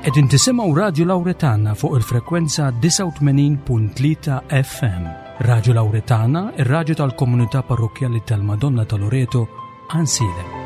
Qegħdin tisimgħu Radju Lawretana fuq il-frekwenza 89.3 FM. Radju Lawretana, ir-radju tal-komunità parrokkjali tal-Madonna ta' Loreto, Ansilem.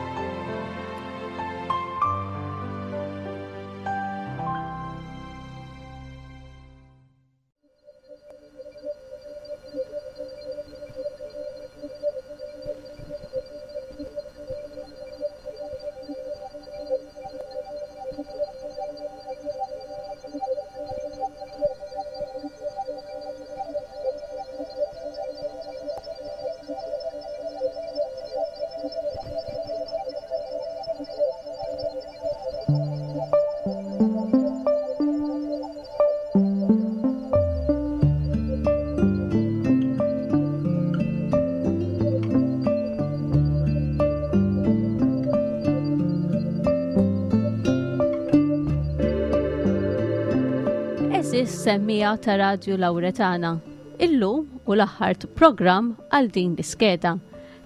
Eżis semmija ta' Radju Lawretana. Illum u l-aħħar programm għal din l-iskeda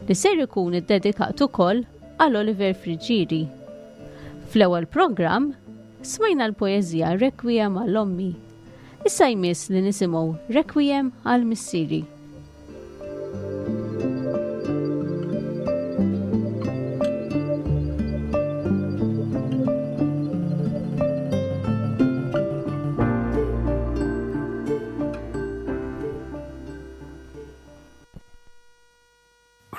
li ser ikun iddedikat ukoll għal Oliver Friggieri. Fl-ewwel programm Smajna l-poeżija Requiem għal Ommi. Issa jmiss li nisimgħu Requiem għal Missieri.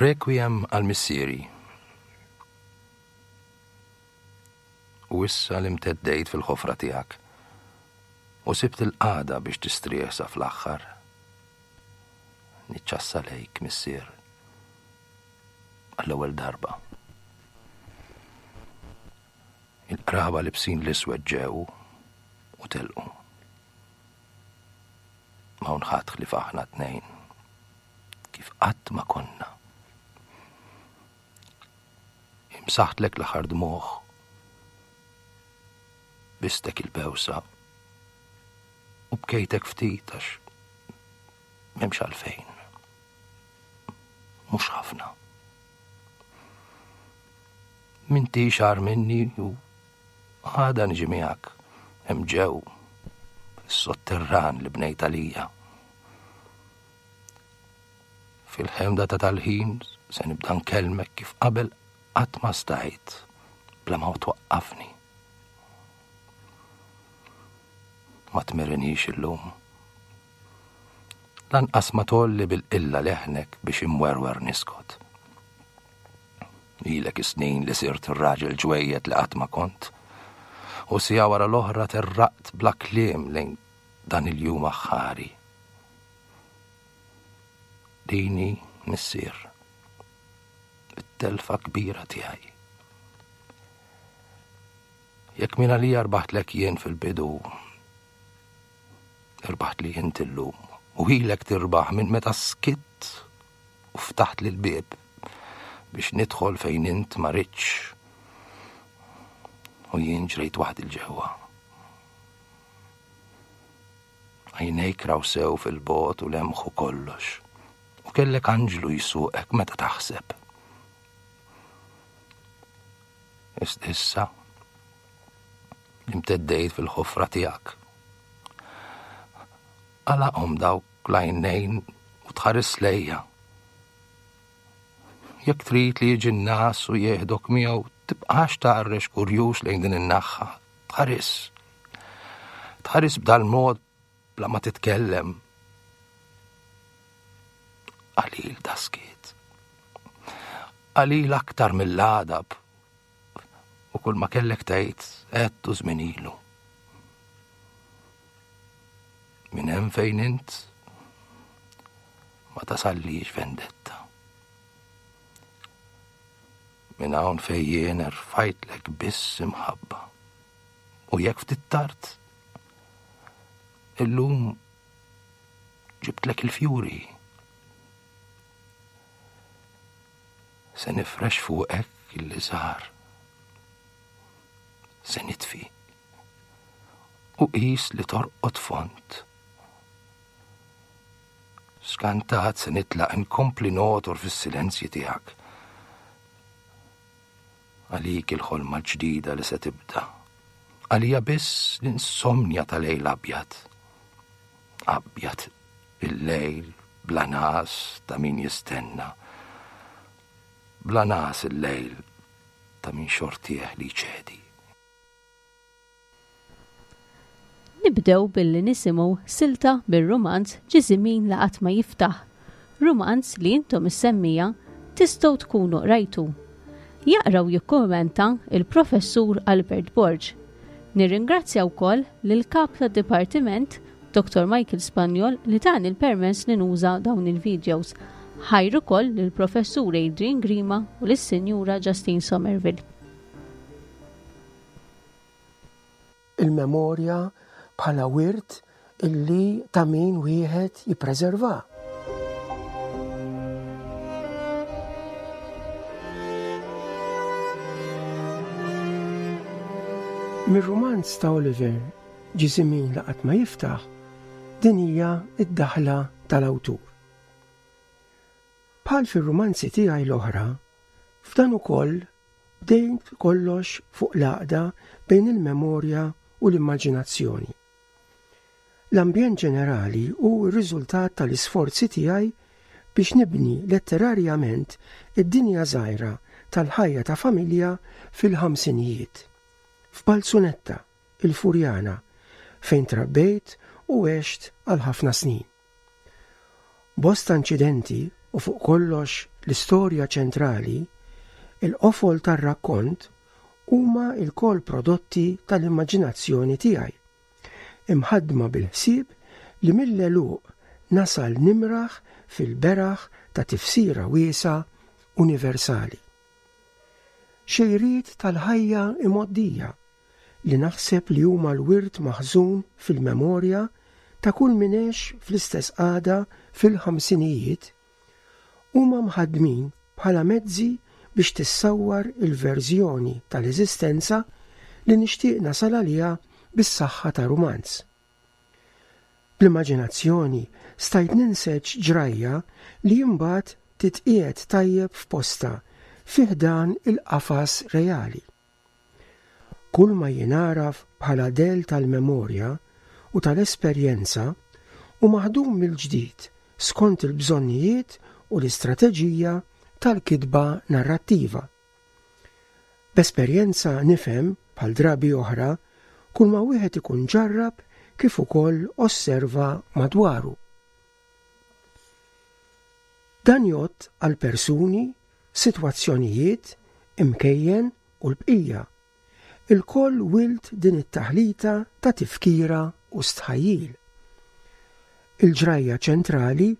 Requiem għal Missieri. U issa li mteddejt fil-ħofra tiegħek u sibt il-qagħda biex tistrieħ sa fl-aħħar, niċċassa lejk, Missier, għall-ewwel darba. Il-qraba libsin l-iswed ġew u telqu. M'hawn ħadd ħlief aħna tnejn, kif qatt ma konna. Imsaħtlek l-aħħar dmugħ. Bistek il-bewsa. U bkejtek ftit għax m'hemmx għalfejn. Mhux ħafna. Minti xar minni u għada niġi miegħek hemm ġew fis-sotterran li bnejt għalija. Fil-ħemda ta' tal-ħin se nibda nkellmek kif qabel qatt ma stajt bla ma twaqqafni. Ma tmirinix illum. Lanqas ma tolli bil-qilla leħnek biex imwerwer niskot. Ilek is-snin li sirt ir-raġel ġwejjed li qatt ma kont. U sija wara l-oħra terraqt bla kliem lejn dan il-jum aħħari. Din hi, Missier, it-telfa kbira tiegħi. Jekk minn għalija rbaħtlek jien fil-bidu, irbaħt li int illum u ilek tirbaħ minn meta skitt u ftaħt li l-bieb biex nidħol fejn int ma ridtx u jien ġrejt waħdi l-ġewwa. Għajnejk raw sew fil-bogħod u lemħu kollox. U kellek anġlu jsuqek meta taħseb. Issa, imteddejt fil-ħofra tiegħek. Għalaqhom dawk l-għajnejn u tħares lejja. Jekk trid li jiġi n-nas u jieħdok miegħu, tibqax tgħarrex kurjuż lejn din in-naħħa. Tħares. Tħares b'dal-mod bla ma titkellem. Qalil daskiet. Qalil aktar mill-għadab. U kull ma kellek tgħid għedtu żmien ilu. Minn hemm fejn int ma tasallix vendetta. Minn hawn fejn jien erfajtlek biss imħabba. U jekk ftit tard, illum ġibtlek il-fjuri. Se nifrex fuqek il-liżar. Se nitfi. U qis li torqod font. Skantat se nitlaq inkompli notor fis-silenzji tiegħek. Għalik il-ħolma l-ġdida li se tibda. Għalija biss l-insomnja ta' lejl abjad. Abjad il-lejl bla nas ta' min jistenna. Bla nas il-lejl ta' min xortieħ li jċedi. Nibdew billi nisimgħu silta mir-rumanz Ġiżimin li qatt ma jiftaħ, rumanz li intom is-semmiegħa tistgħu tkunu qrajtu. Jaqra u jikkummenta l-Professur Albert Borg. Nirringrazzja wkoll lill-Kap tad-Dipartiment, Dottor Michael Spagnol li tani l-permess li nuża dawn il-videos. Ħajr ukoll lill-Professur Adrian Grima u lis-Sinjura Justine Somerville. Il-memorja bħala wirt illi ta' min wieħed jippreserva. Mir-rumanz ta' Oliver Ġiżimin li qatt ma jiftaħ, din hija d-daħla tal-awtur. Bħal fir-rumanzi tiegħi l-oħra, f'dan ukoll Bdejt kollox fuq l-għaqda bejn il-memorja u l-immaġinazzjoni. L-ambjent ġenerali hu r-riżultat tal-isforzi tiegħi biex nibni letterarjament id-dinja żgħira tal-ħajja ta' familja fil-ħamsinijiet, f'Balzunetta, il-Furjana, fejn trabbejt u għext għal ħafna snin. Bosta inċidenti u fuq kollox l-istorja ċentrali, il-qofol tar-rakkont, huma lkoll prodotti tal-immaġinazzjoni tiegħi, imħaddma bil-ħsieb li mill-għeluq nasal nimraħ fil-beraħ ta' tifsira wiesgħa universali. Xejriet tal-ħajja imgħoddija li naħseb li huma l-wirt maħżun fil-memorja ta' kull min għex fl-istess qagħda fil-ħamsinijiet, huma mħaddmin bħala mezzi biex tissawwar il-verżjoni tal-eżistenza li nixtieq nasal għaliha bis-saħħa ta' rumanz. Bl-immaġinazzjoni stajt ninseġ ġrajja li imbagħad titqiegħed tajjeb f'postha fi ħdan il-qafas reali. Kull ma jingħaraf bħala dell tal-memorja u tal-esperjenza hu maħdum mill-ġdid skont il-bżonnijiet u l-istrateġija tal-kitba narrattiva. B'esperjenza nifhem, bħal drabi oħra, kull ma wieħed ikun ġarrab kif ukoll osserva madwaru. Dan jgħodd għal persuni, sitwazzjonijiet, imkejjen u l-bqija. Ilkoll wild din it-taħlita ta' tifkira u stħajjil. Il-ġrajja ċentrali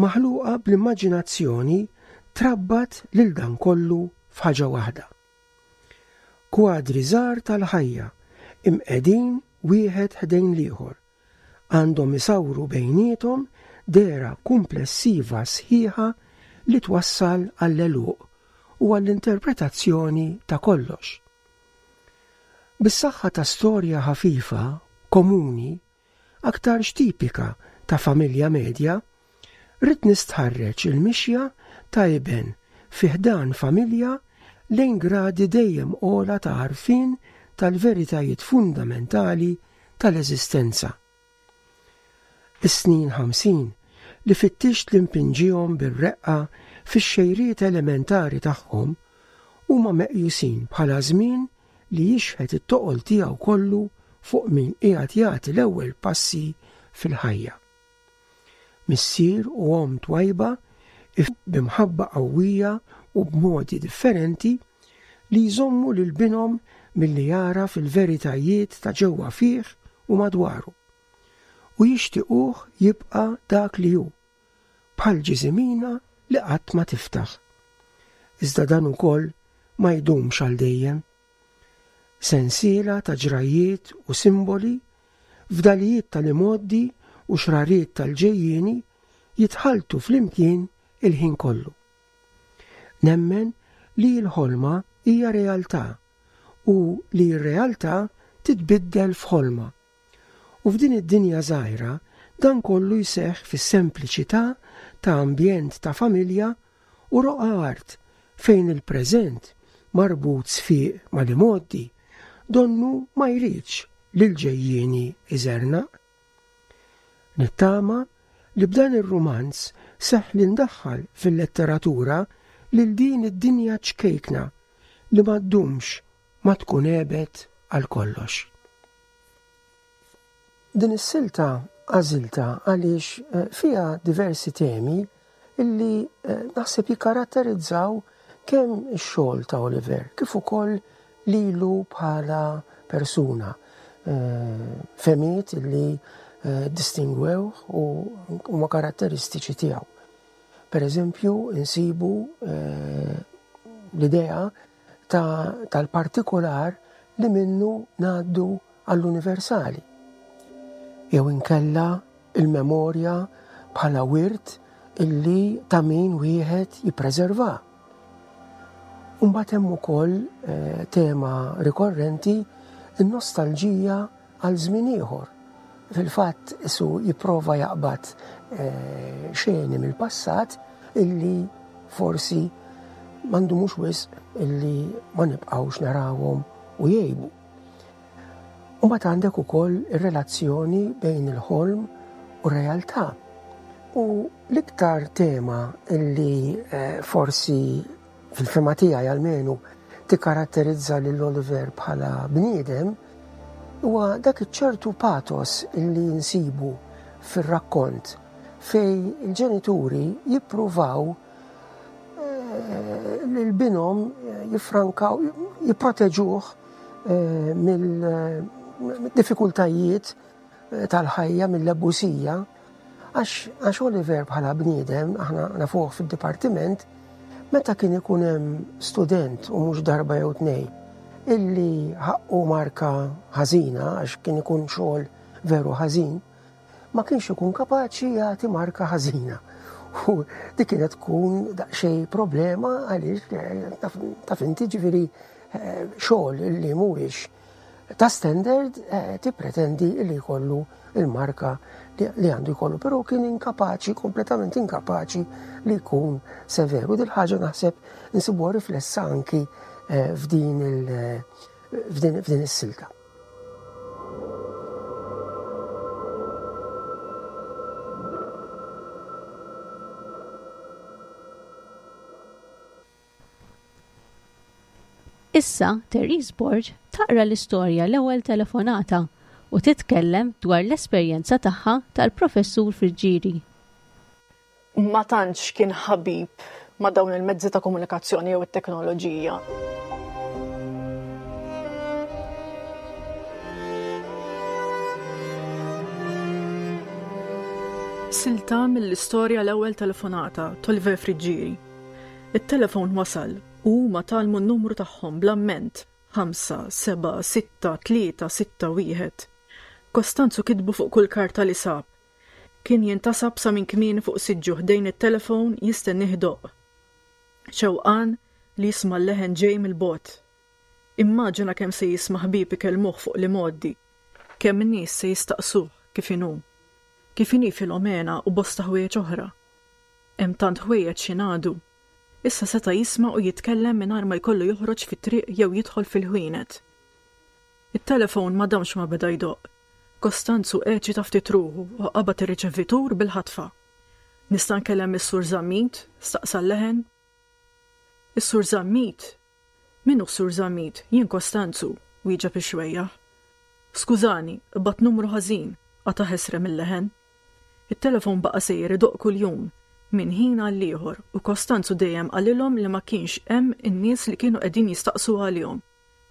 maħluqa bl-immaġinazzjoni trabbat lil dan kollu f'ħaġa waħda. Kwadri żgħar tal-ħajja, imqegħdin wieħed ħdejn l-ieħor, għandhom isawru bejniethom dehra kumplessiva sħiħa li twassal għall-għeluq u għall-interpretazzjoni ta' kollox. Bis-saħħa ta' storja ħafifa, komuni, aktarx tipika ta' familja medja, ridt nistħarreġ il-mixja ta' iben fi ħdan familja lejn gradi dejjem ogħla ta' għarfien tal-veritajiet fundamentali tal-eżistenza. Is-snin 50 li fittixt li npinġihom bir-reqqa fix-xejriet elementari tagħhom huma meqjusin bħala żmien li jixħet it-toqol tiegħu kollu fuq min qiegħed jagħti l-ewwel passi fil-ħajja. Missier u omm twajba bi mħabba qawwija u b'modi differenti li jżommu lil binhom milli jagħraf il-veritajiet ta' ġewwa fih u madwaru, u jixtiquh jibqa' dak li hu, bħal ġiżimina li qatt ma tiftaħ. Iżda dan ukoll ma jdumx għal dejjem. Sensiela ta' ġrajjiet u simboli, fdalijiet tal-imgħoddi u xrariet tal-ġejjieni jitħalltu flimkien il-ħin kollu. Nemmen li l-ħolma hija realtà u li r-realtà titbiddel f'ħolma. U f'din id-dinja żgħira dan kollu jseħħ fis-sempliċità ta' ambjent ta' familja u roqgħa art fejn il-preżent, marbut sfiq mal-imgħoddi, donnu ma jridx li l-ġejjieni iżernaq. Nittama li b'dan ir-rumanz seħħ li ndaħħal fil-letteratura lil din id-dinja ċkejkna li ma ddumx ma tkun għebet għal kollox. Din is-silta għażiltha għaliex eh, fiha diversi temi illi eh, naħseb jikkaratterizzaw kemm ix-xogħol ta' Oliver kif ukoll lilu bħala persuna. Eh, femiet illi distingwew u huma karatteristiċi tiegħu. Per eżempju, insibu l-idea tal-partikular li minnu ngħaddu għall-universali. Jew inkella il-memorja bħala wirt illi ta' min wieħed jippreserva. Imbagħad hemm ukoll eh, tema rikorrenti in-nostalġija għal żmien ieħor. Fil-fatt isu jipprova jaqbad eh, xeni mill-passat illi forsi m'għandhomux wisq illi ma nibqgħux narawhom u jgħibu. U mbagħad għandek ukoll ir-relazzjoni bejn il-ħolm u r-realtà. U l-iktar tema illi eh, forsi fil-fema tiegħi almenu tikkaratterizza lil Oliver bħala bniedem huwa dak iċ-ċertu patos illi nsibu fir-rakkont fej il-ġenituri jippruvaw eh, lil binhom jiffrankaw, jipproteġuh eh, mill-diffikultajiet eh, tal-ħajja, mill-ebusija, għax Oliver bħala bniedem, aħna nafuh fid-dipartiment, meta kien ikun hemm student u mhux darba jew tnej, illi ħaqqu marka ħażina għax kien ikun xogħol veru ħażin, ma kienx ikun kapaċi jagħti marka ħażina. U dik kienet tkun daqsxejn problema għaliex eh, taf inti ġifieri eh, xogħol li mhuwiex ta' standard eh, tippretendi li jkollu il-marka li għandu jkollu, però kien inkapaċi, kompletament inkapaċi li jkun severu. Dil ħaġa naħseb insibuha riflessa anki f'din f'din is-silta. Issa Therese Borg taqra l-istorja L-Ewwel Telefonata u titkellem dwar l-esperjenza tagħha tal-Professur Friggieri. ma tantx kien ħabib ma' dawn il-mezzi ta' komunikazzjoni jew it-teknoloġija. Silta mill-istorja l-ewwel telefonata t'Oliver Friggieri. It-telefon wasal u huma tgħallmu n-numru tagħhom bl-amment 5, 7, 6, 3, 6, 1. Kostanzu kitbu fuq kull karta li sab. Kien jintasab sa minn kmieni fuq siġġu ħdejn it-telefon jistennieh idoqq. Xewqan li jisma' l-leħen ġej mill-bogħod. Immaġina kemm se jisma' ħbieb ikellmuh fuq l-imgħoddi, kemm nies se jistaqsuh kif inhu, kif inhi Filomena u bosta ħwejjeġ oħra. Hemm tant ħwejjeġ x'jingħadu. Issa seta' jisma' u jitkellem mingħajr ma jkollu joħroġ fit-triq jew jidħol fil-ħwienet. It-telefon ma damx ma beda jdoqq. Kostanzu eċita ftit ruħu u qabad ir-riċevitur bil-ħatfa. Nista' nkellem lis-Sur Zammit? staqsa l-leħen. Is-Sur Zammit? Min hu s-Sur Zammit? Jien Kostanzu, wieġeb ix-xwejjaħ. Skużani, qbadt numru ħażin, qata' ħesrem il-leħen. It-telefon baqa' sejjer idoqq kuljum, minn ħin għall-ieħor, u Kostanzu dejjem qalilhom li ma kienx hemm in-nies li kienu qegħdin jistaqsu għalihom.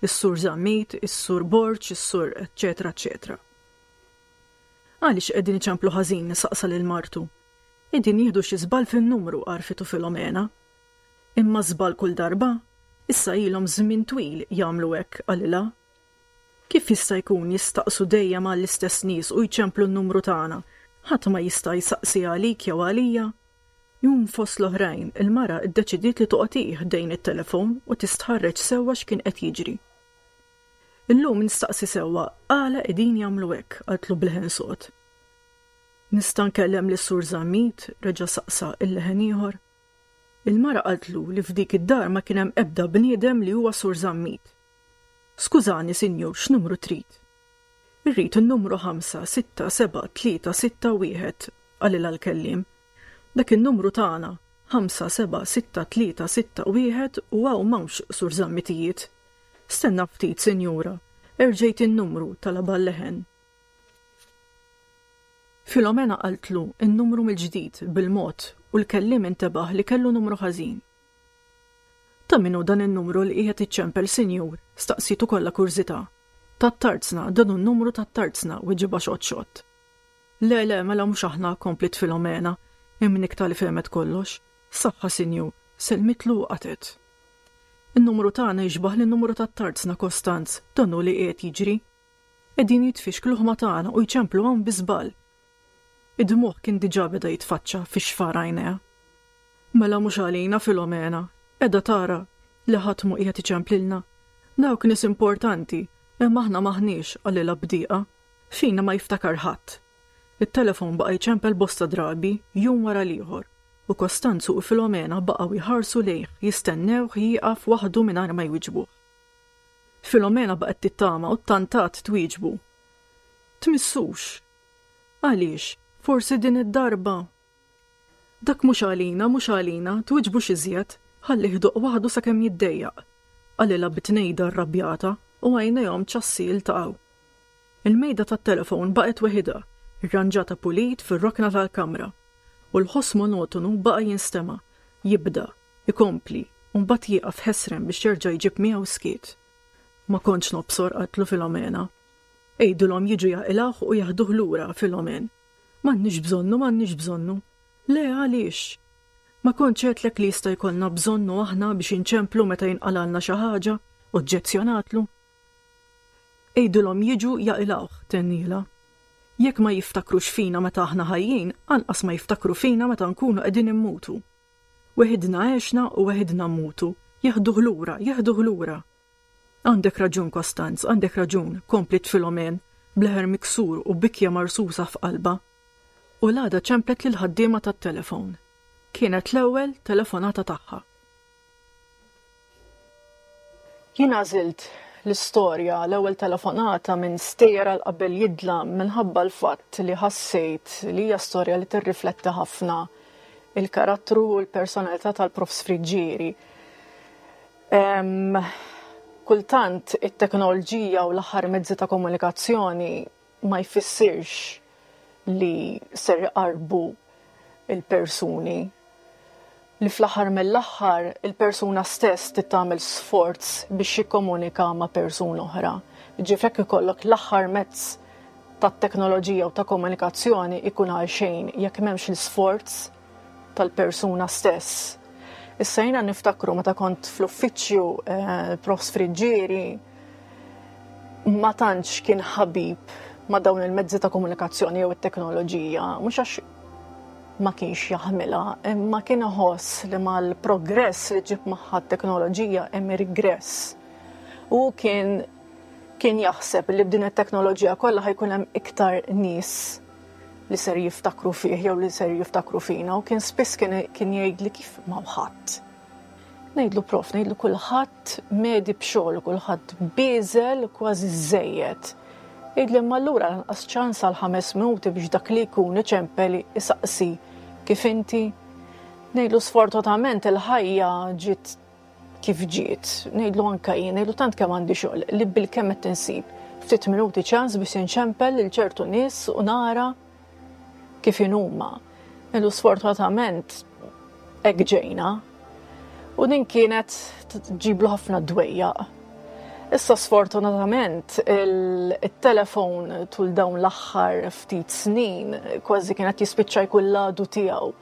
is-Sur Zammit, is-Sur Borg, is-Sur eċċetera eċċetera. Għaliex qegħdin iċemplu ħażin saqsa lil martu. Qegħdin jieħdu xi żball fin-numru għarfitu Filomena. Imma żball kull darba? Issa ilhom żmien twil jagħmlu hekk qalilha. Kif jista' jkun jistaqsu dejjem għall-istess nies u jċemplu n-numru tagħna? Ħadd ma jista' jsaqsi għalik jew għalija? Jum fost l-oħrajn, il-mara ddeċidiet li toqgħod hi ħdejn it-telefon u tistħarreġ sewwa x'kien qed jiġri. Illum nistaqsi sewwa għala qegħdin jagħmlu hekk, qaltlu b'leħen sod. Nista' nkellem lis-Sur Zammit? reġa' saqsa il-leħen ieħor. Il-mara qaltlu li f'dik id-dar ma kien hemm ebda bniedem li huwa Sur Zammit. Skużani, sinjur, x'numru trid? Irrid in-numru 5, 6, 7, 3, 6, 1, qalilha l-kelliem. Dak in-numru tagħna, 5, 7, 6, 3, 6, 1 u hawn m'hawnx Sur Zammitijiet. Stenna ftit, sinjura, erġejt in-numru, talabha l-leħen. Filomena qaltlu n-numru mill-ġdid bil-mod u l-kelliem intebaħ li kellu numru ħażin. Ta' min hu dan in-numru li qiegħed iċċempel, sinjur? staqsietu kollha kurżità. Tat-tarzna, dan hu n-numru tat-tarzna, weġibha xott xott. Le, le, mela mhux aħna, kompliet Filomena, imnikkta li fehmet kollox. Saħħa, sinjur, sellmitlu u qatgħet. In-numru tagħna jixbah lin-numru tat-tarzna, Kostanz, dan hu li qiegħed jiġri. Qegħdin jitfixkluh ma' tagħna u jċemplu hawn bi żball. Id-dmugħ kien diġà beda jitfaċċa fi xfar għajnejha. Mela mhux għalina, Filomena. Qiegħda tara li ħadd mhu qiegħed iċemplilna. Dawk nies importanti, imma aħna m'aħniex, qalilha b'dieqa. Fina ma jiftakar ħadd. It-telefon baqa' jċempel bosta drabi, jum wara l-ieħor, u Kostanzu u Filomena baqgħu jħarsu lejh jistennewh jieqaf waħdu mingħajr ma jwiġbuh. Filomena baqgħet tittama u ttantat twieġbu. Tmissux. Għaliex, forsi din id-darba. Dak mhux għalina, mhux għalina, twiġbux iżjed, ħallih idoqq waħdu sakemm jiddejjaq, qalilha bi tnejda rrabjata u għajnejhom ċassi ltaqgħu. Il-mejda tat-telefon baqgħet weħidha, irranġata pulit fir-rokna tal-kamra, u l-ħoss monotonu baqa' jinstema', jibda, ikompli, u mbagħad jieqaf ħesrem biex jerġa' jġib miegħu skiet. Ma kontx nobsor, qaltlu Filomena. Għidilhom jiġu jaqilgħuh u jeħduh lura, Filomen. M'għandniex bżonnu, m'għandniex bżonnu. Le, għaliex? Ma kontx għedtlek li jista' jkollna bżonnu aħna biex inċemplu meta jinqalgħalna xi ħaġa? oġġezzjonatlu. Għidilhom jiġu jaqilgħuh, tennielha. Jekk ma jiftakrux fina meta aħna ħajjin, anqas ma jiftakru fina meta nkunu qegħdin immutu. Weħidna għexna u weħidna mmutu. Jeħduh lura, jeħduh lura. Għandek raġun, Kostanz, għandek raġun, kompliet Filomen, b'leħer miksur u bikja marsusa f'qalbha. U l-għada ċemplet lill-ħaddiema tat-telefon. Kienet l-ewwel telefonata tagħha. Jien għażilt l-istorja l-ewwel telefonata minn Stejjer għal Qabel Jidlam minħabba l-fatt li ħassejt li hija storja li tirrifletti ħafna il-karattru u l-personalità tal-Profs Friggieri. Kultant it-teknoloġija u l-aħħar mezzi ta' komunikazzjoni ma jfissirx li ser iqarrbu il-persuni li fl-aħħar mill-aħħar il-persuna stess trid tagħmel sforz biex jikkomunika ma' persuna oħra. Ġifieri jekk ikollok l-aħħar mezz tat-teknoloġija u ta' komunikazzjoni ikun għal xejn jekk m'hemmx l-isforz tal-persuna stess. Issa jiena niftakru meta kont fl-uffiċċju eh, Profs Friggieri ma tantx kien ħabib ma' dawn il-mezzi ta' komunikazzjoni jew it-teknoloġija, mhux għax ma kienx jaħmilha, imma kien iħoss li mal-progress li ġib magħha t-teknoloġija hemm regress. U kien kien jaħseb li b'din it-teknoloġija kollha ħajkun hemm iktar nies li ser jiftakru fih jew li ser jiftakru fina u kien spiss kien jgħidli kif ma ħadd. Ngħidlu prof, ngħidlu kulħadd medi b'xogħol, kulħadd bieżel kważi żejjed. Jgħidli imma allura lanqas ċans għal ħames minuti biex dak li jkun iċempel isaqsi kif inti. Ngħidlu sfortunatament il-ħajja ġiet kif ġiet. Ngħidlu anke jien, ngħidlu tant kemm għandi xogħol li bil-kemm qed insib ftit minuti ċans biex inċempel lil ċertu nies u nara kif inhuma. Ngħidlu sfortunatament hekk ġejna. U din kienet ġiblu ħafna dwejjaq. Issa sfortunatament il-telefon tul dawn l-aħħar ftit snin kważi kienet jispiċċa jkun l-għadu tiegħu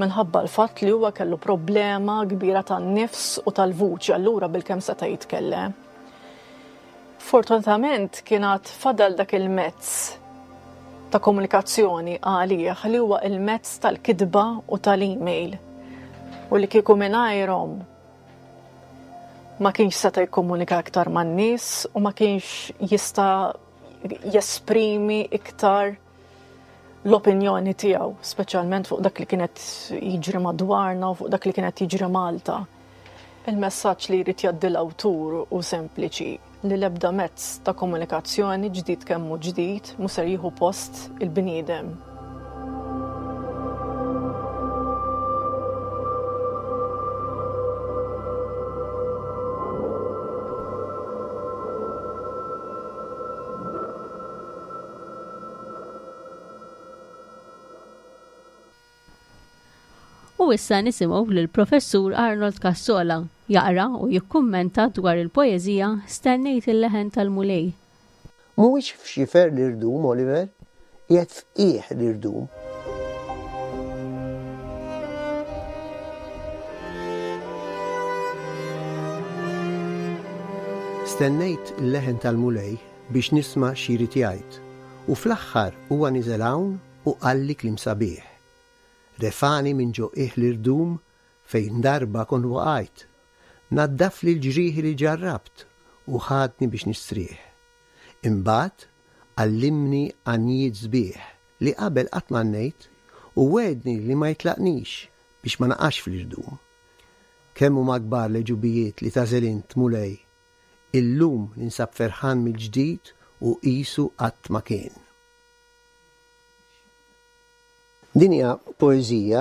minħabba l-fatt li huwa kellu problema kbira tan-nifs u tal-vuċi allura bilkemm seta' jitkellem. Fortunatament kien għad fadal dak il-mezz ta' komunikazzjoni għalih li huwa il-mezz tal-kitba u tal-email u li kieku mingħajrhom ma kienx seta' jikkomunika iktar man-nies u ma kienx jista' jesprimi iktar l-opinjoni tiegħu, speċjalment fuq dak li kienet jiġri madwarna u fuq dak li kienet jiġri Malta. Il-messaġġ li jrid jgħaddi l-awtur hu sempliċi, li l-ebda mezz ta' komunikazzjoni, ġdid kemm hu ġdid, mhu ser jieħu post il-bniedem. U issa nisimgħu lill-Professur Arnold Cassola jaqra u jikkummenta dwar il-poeżija Stennejt il-Leħen tal-Mulej. Mhuwiex f'xifer l-irdum, Oliver, qiegħed f'qiegħ l-irdum. Stennejt il-leħen tal-Mulej biex nisma' xi jrid jgħid, u fl-aħħar huwa niżel hawn u qalli kliem sabiħ. Refagħni minn ġo qiegħ l-irdum fejn darba kont waqajt. Naddafli l-ġrieħi li ġarrabt u ħadni biex nistrieħ. Imbagħad għallimni għanjiet sbieħ li qabel qatt m'għannejt u wegħedni li ma jitlaqnix biex ma naqax fl-irdum. Kemm huma kbar l-għeġubijiet li tagħżel int, Mulej! Illum ninsab ferħan mill-ġdid u qisu qatt ma kien. Din hija poeżija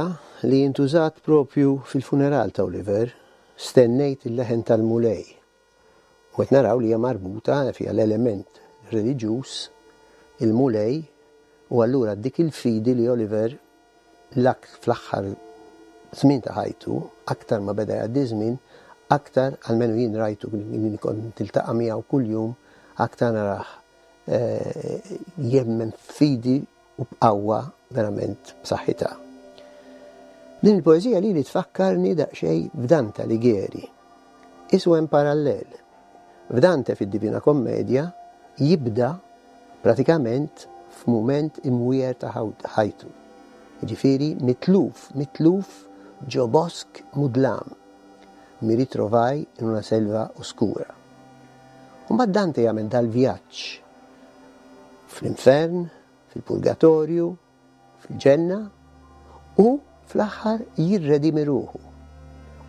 li intużat propju fil-funeral ta' Oliver, Stennejt il-leħen tal-Mulej. U qed naraw li hija marbuta fiha l-element reliġjuż, il-Mulej, u allura dik il-fidi li Oliver l-ak fl-aħħar żmien ta' ħajtu, aktar ma beda jgħaddi ż-żmien, aktar, almenu jien rajtu li kont niltaqa' miegħu kuljum, aktar narah jemmen f'fidi u b'qawwa verament b'saħħitha. Din il-poeżija lili tfakkarni daqsxejn f'Dante Alighieri. Isu hemm parallel. F'Dante fid-Divina Commedia jibda pratikament f'mument imwiegħer ta' ħajtu. Jiġifieri mitluf, mitluf ġo bosk mudlam. Mi ritrovai in una selva oscura. U mbagħad Dante jagħmel dal-vjaġġ fl-infern, fil-purgatorju, fil-ġenna u fl-aħħar jirredimi ruħu.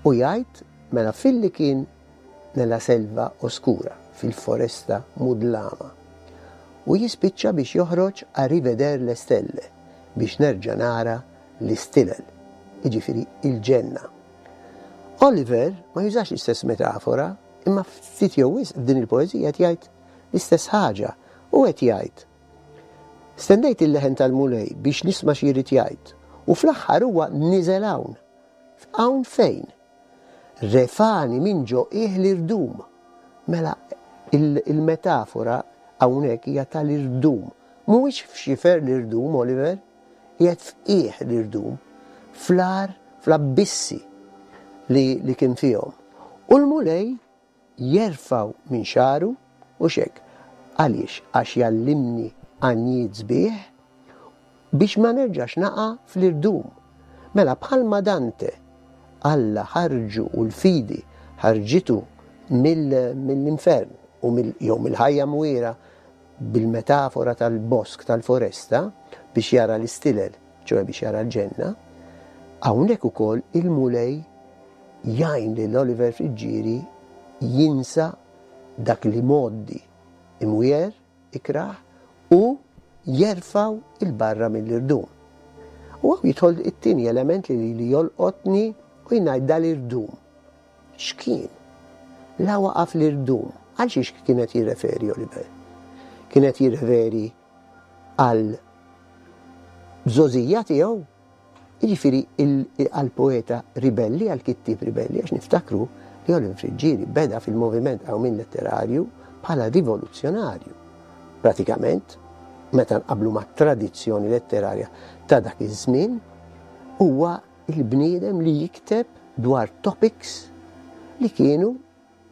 U jgħid mela filli kien nella selva oskura, fil-foresta mudlama. U jispiċċa biex joħroġ a riveder le stelle, biex nerġa' nara l-istilel, jiġifieri il-ġenna. Oliver ma jużax l-istess metafora, Imma ftit jew wisq f'din il-poeżija qed jgħid l-istess ħaġa. Hu qed jgħid, Stennejt il-leħen tal-Mulej biex nisma' xi jrid jgħid, u fl-aħħar huwa niżel hawn. Hawn fejn? Refagħni minn ġo qiegħ l-irdum. Mela il-metafora hawnhekk hija tal-irdum. Mhuwiex f'xifer l-irdum, Oliver, qiegħed f'qiegħ l-irdum, fl-għar, fl-abbissi li, li kien fihom. U l-Mulej jerfgħu minn xagħru, hux hekk? Għaliex? Għax jgħallimni għanjiet sbieħ biex ma nerġax naqa' fl-irdum. Mela bħalma Dante Alla ħarġu u l-fidi ħarġitu mill-infern u jew mill-ħajja mwiegħra bil-metafora tal-bosk tal-foresta biex jara l-istilel, ċoe biex jara l-ġenna, hawnhekk ukoll il-Mulej jgħin lil Oliver Friggieri jinsa dak li mgħoddi imwiegħer, ikrah, u jerfgħu 'il barra mill-irdum. U hawn jidħol it-tieni element li lili jolqotni u jien ngħid dal-irdum. X'kien? La waqa' fl-irdum. Għal xiex kien qed jirreferi Oliver? Kien qed jirreferi għal żgħożija tiegħu? Jiġifieri għal poeta ribelli, għal kittieb ribelli, għax niftakru li Oliver Friggieri beda fil-moviment qawmien letterarju bħala rivoluzzjonarju. Pratikament, meta nqabblu mat-tradizzjoni letterarja ta' dak iż-żmien, huwa il-bniedem li jikteb dwar topics li kienu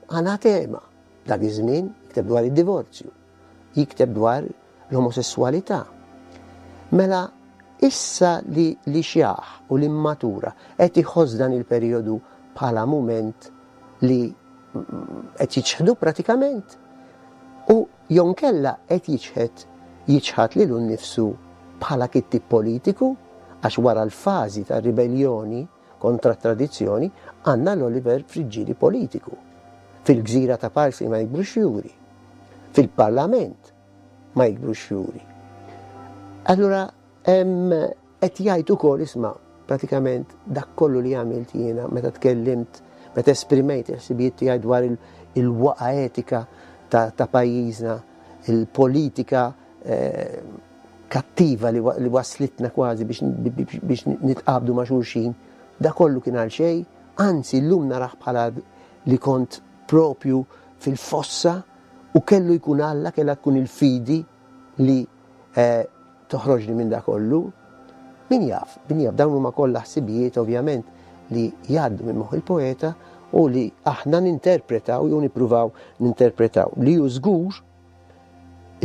anatema dak iż-żmien, jikteb dwar id-divorzju, jikteb dwar l-omosessualità. Mela issa li li xjaħ u li mmatura qed iħoss dan il-perjodu bħala mument li qed jiċħdu pratikament u jew inkella qed jiċħed jiċħad lilu nnifsu bħala kittieb politiku għax wara l-fażi tar-ribelljoni. kontra tradizzjoni, għandna l-Oliver Friggieri politiku. Fil-gżira ta' Parsi ma jikbrux fjuri. Fil-parlament ma jikbrux fjuri. Allura, qed jgħid ukoll isma' pratikament dak kollu li għamilt jiena meta tkellimt, meta esprimejt il-ħsibijiet tiegħi dwar il-waqa etika ta' pajjiżna, il-politika eh, kattiva li waslitna kważi biex nitqabdu ma' xulxin, da kollu kien għal xejn, anzi llum narah bħala li kont propju fil-fossa u kellu jkun Alla, kellha tkun il-fidi li eh, toħroġni minn da kollu. Min jaf, min jaf, dawn huma kollha ħsibijiet ovvjament li jgħaddu minn moħħ il-poeta u li aħna ninterpretaw jew nippruvaw ninterpretaw. Li hu żgur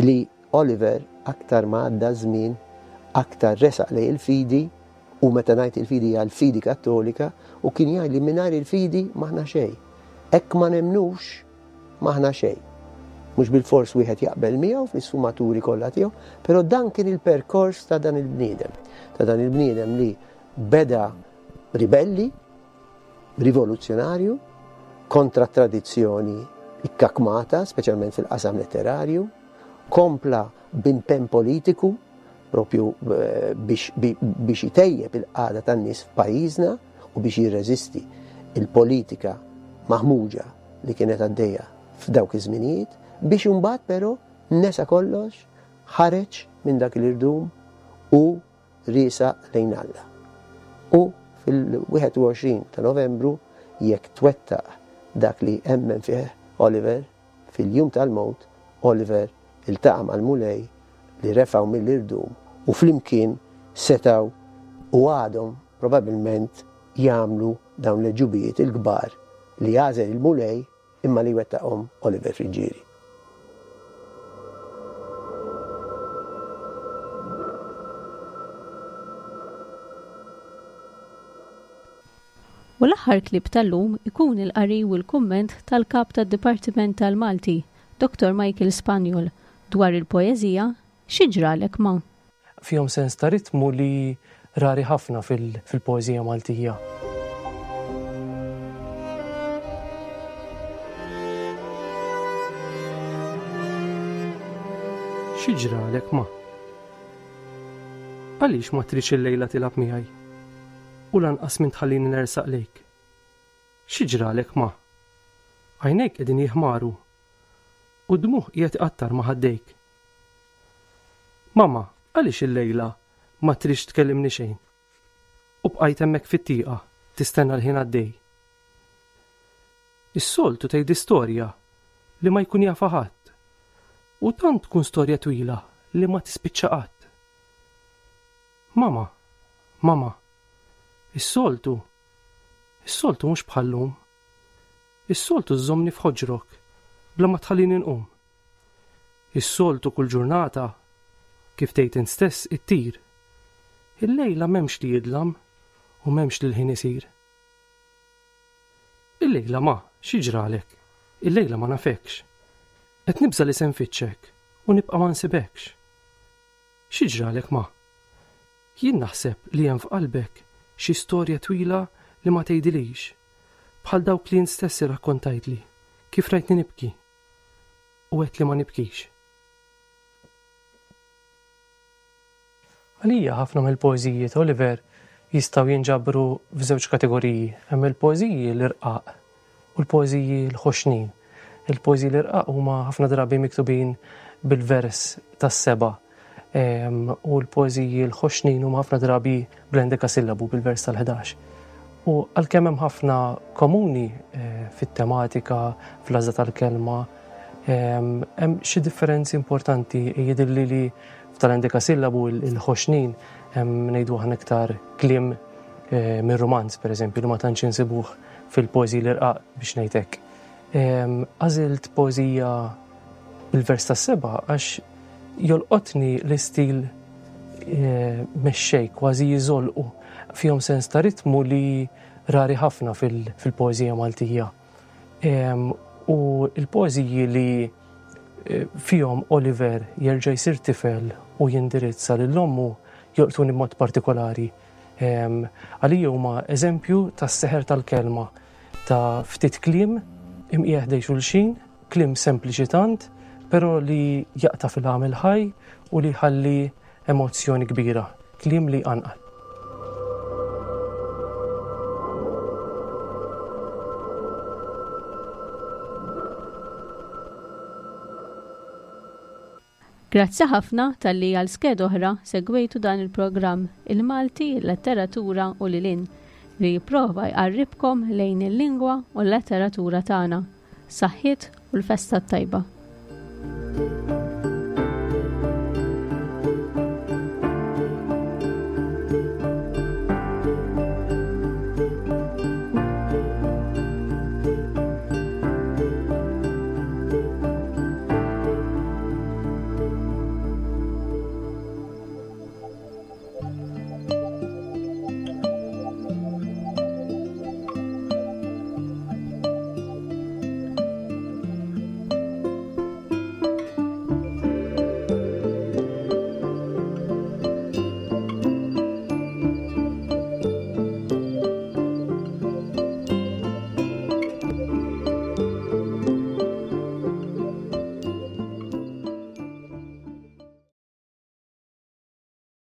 li Oliver aktar ma għadda żmien aktar resaq lejn il-fidi u meta ngħid il-fidi hija l-fidi kattolika u kien jgħid li mingħajr il-fidi m'aħna xejn. Hekk ma nemnux m'aħna xejn. Mhux bilfors wieħed jaqbel miegħu fl-isfumaturi kollha tiegħu, però dan kien il-perkors ta' dan il-bniedem. Ta' dan il-bniedem li beda ribelli, rivoluzzjonarju, kontra t-tradizzjoni ikkakmata, speċjalment fil-qasam letterarju, kompla b'impenn politiku propju eh, biex, biex itejjeb il-qagħda tan-nies f'pajjiżna u biex jirreżisti il-politika maħmuġa li kienet għaddejja f'dawk iż-żminijiet, biex imbagħad però nesa kollox, ħareġ minn dak l-irdum u riesaq lejn Alla. U fil-21 ta' Novembru, jekk twettaq dak li emmen fih Oliver, fil-jum tal-mewt, Oliver iltaqa' mal-Mulej li refgħu mill-irdum u flimkien setgħu u għadhom probabilment jagħmlu dawn l-għeġubijiet il-kbar li għażel il-Mulej imma li jwettaqhom Oliver Friggieri. U l-aħħar clip tal-lum ikun il-qari u l-kumment tal-Kap tad-Dipartiment tal-Malti, Dottor Michael Spagnol, dwar il-poeżija Xi ġralek ma? Fihom sens ta' ritmu li rari ħafna fil-poeżija Maltija. Xi ġralek ma? Għaliex ma tridx illejla tilgħab miegħi? U lanqas min tħallini nersaq lejk? Xi ġralek ma? Għajnejk qegħdin jiħmaru u d-dmugħ qiegħed iqattar ma' ħaddejk. Mama, għaliex illejla ma tridx tkellimni xejn? U bqajt hemmhekk fit-tieqa tistenna l-ħin għaddej. Is-soltu tgħidli storja li ma jkun jafha ħadd. U tant tkun storja twila li ma tispiċċa qatt. Mama, mama, is-soltu, is-soltu mhux bħal-lum. Is-soltu żżommni f'ħoġrok bla ma tħallini nqum. Is-soltu kull ġurnata, kif tgħid int stess, ittir. Illejla m'hemmx li jidlam u m'hemmx li l-ħin isir. Illejla ma, xi ġralek? Illejla ma nafekx. Qed nibża' li se nfittxek u nibqa' ma nsibekx. Xi ġralek ma? Jien naħseb li hemm f'qalbek xi storja twila li ma tgħidilix, bħal dawk li int stess irrakkontajtli kif rajtni nibki u għedt li ma nibkix. Għalija ħafna mill-poeżiji ta' Oliver jistgħu jinġabru f'żewġ kategoriji. Hemm il-poeżiji l-irqaq u l-poeżiji l-ħoxnin. Il-poeżiji l-irqaq huma ħafna drabi miktubin bil-vers tas-seba' u l-poeżiji l-ħoxnin huma ħafna drabi bl-endekasillabu bil-vers tal-11. U għalkemm hemm ħafna komuni eh, fit-tematika, fl-għażla tal-kelma, hemm xi differenzi importanti jidhirli li f'tal-endekasillabu il-ħoxnin hemm ngħidu aħna iktar kliem eh, mir-rumanz pereżempju li ma tantx insibuh fil-poeżiji l-irqaq biex ngħid hekk. Għażilt poeżija bil-vers tas-seba' għax jolqotni l-istil eh, mexxej kważi jiżolqu fihom sens ta' ritmu li rari ħafna fil-poeżija Maltija. U l-poeżiji li eh, fihom Oliver jerġa' jsir tifel u jindirizza lil ommu jolqtuni b'mod partikolari. Għalija huma eżempju tas-seħer tal-kelma ta' ftit kliem imqiegħ ħdej xulxin, kliem sempliċi tant, però li jaqta' fil-għamel ħaj u li jħalli emozzjoni kbira, kliem li jqanqal. Grazzi ħafna talli għal skeda oħra segwejtu dan il-programm Il-Malti, il-Letteratura u lil hinn, li jipprova jqarribkom lejn il-lingwa u l-letteratura tagħna. Saħħiet u l-festa t-tajba.